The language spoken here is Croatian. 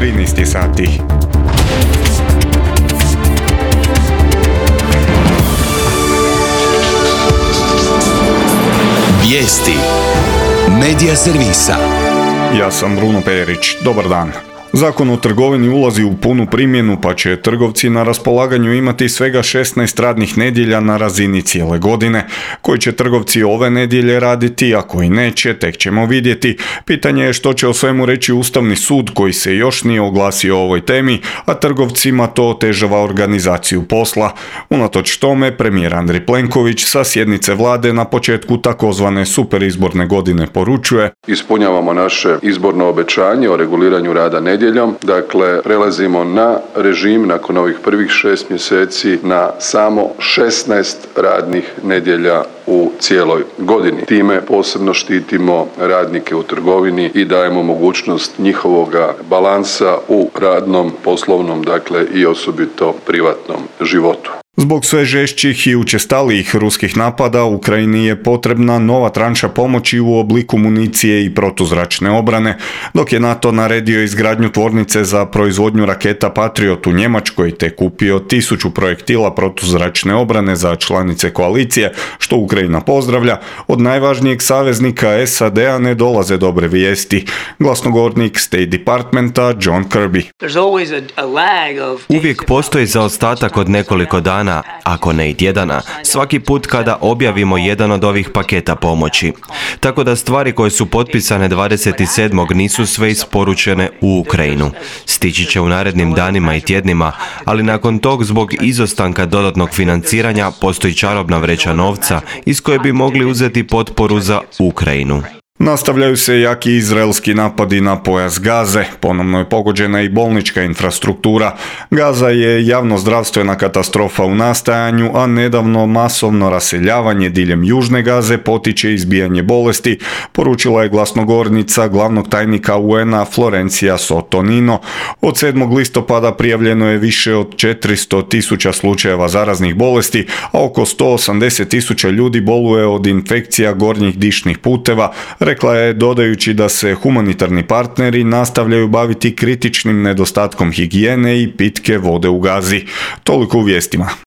13 sati. Vijesti Medija servisa. Ja sam Bruno Perić. Dobar dan. Zakon o trgovini ulazi u punu primjenu, pa će trgovci na raspolaganju imati svega 16 radnih nedjelja na razini cijele godine. Koji će trgovci ove nedjelje raditi, a koji neće, tek ćemo vidjeti. Pitanje je što će o svemu reći Ustavni sud, koji se još nije oglasio o ovoj temi, a trgovcima to otežava organizaciju posla. Unatoč tome, premijer Andrej Plenković sa sjednice vlade na početku takozvane superizborne godine poručuje: ispunjavamo naše izborno obećanje o reguliranju rada nedjeljom. Dakle, prelazimo na režim nakon ovih prvih 6 mjeseci na samo 16 radnih nedjelja u cijeloj godini. Time posebno štitimo radnike u trgovini i dajemo mogućnost njihovoga balansa u radnom, poslovnom, dakle i osobito privatnom životu. Zbog sve žešćih i učestalijih ruskih napada Ukrajini je potrebna nova tranša pomoći u obliku municije i protuzračne obrane, dok je NATO naredio izgradnju tvornice za proizvodnju raketa Patriot u Njemačkoj te kupio 1000 projektila protuzračne obrane za članice koalicije, što Ukrajina pozdravlja. Od najvažnijeg saveznika SAD-a ne dolaze dobre vijesti. Glasnogovornik State Departmenta John Kirby. Uvijek postoji zaostatak od nekoliko dana, ako ne i tjedana, svaki put kada objavimo jedan od ovih paketa pomoći. Tako da stvari koje su potpisane 27. nisu sve isporučene u Ukrajinu. Stići će u narednim danima i tjednima, ali nakon tog zbog izostanka dodatnog financiranja postoji čarobna vreća novca iz koje bi mogli uzeti potporu za Ukrajinu. Nastavljaju se jaki izraelski napadi na pojas Gaze, ponovno je pogođena i bolnička infrastruktura. Gaza je javnozdravstvena katastrofa u nastajanju, a nedavno masovno raseljavanje diljem južne Gaze potiče izbijanje bolesti, poručila je glasnogovornica glavnog tajnika UN-a Florencija Sotonino. Od 7. listopada prijavljeno je više od 400.000 slučajeva zaraznih bolesti, a oko 180.000 ljudi boluje od infekcija gornjih dišnih puteva, rekla je, dodajući da se humanitarni partneri nastavljaju baviti kritičnim nedostatkom higijene i pitke vode u Gazi. Toliko u vijestima.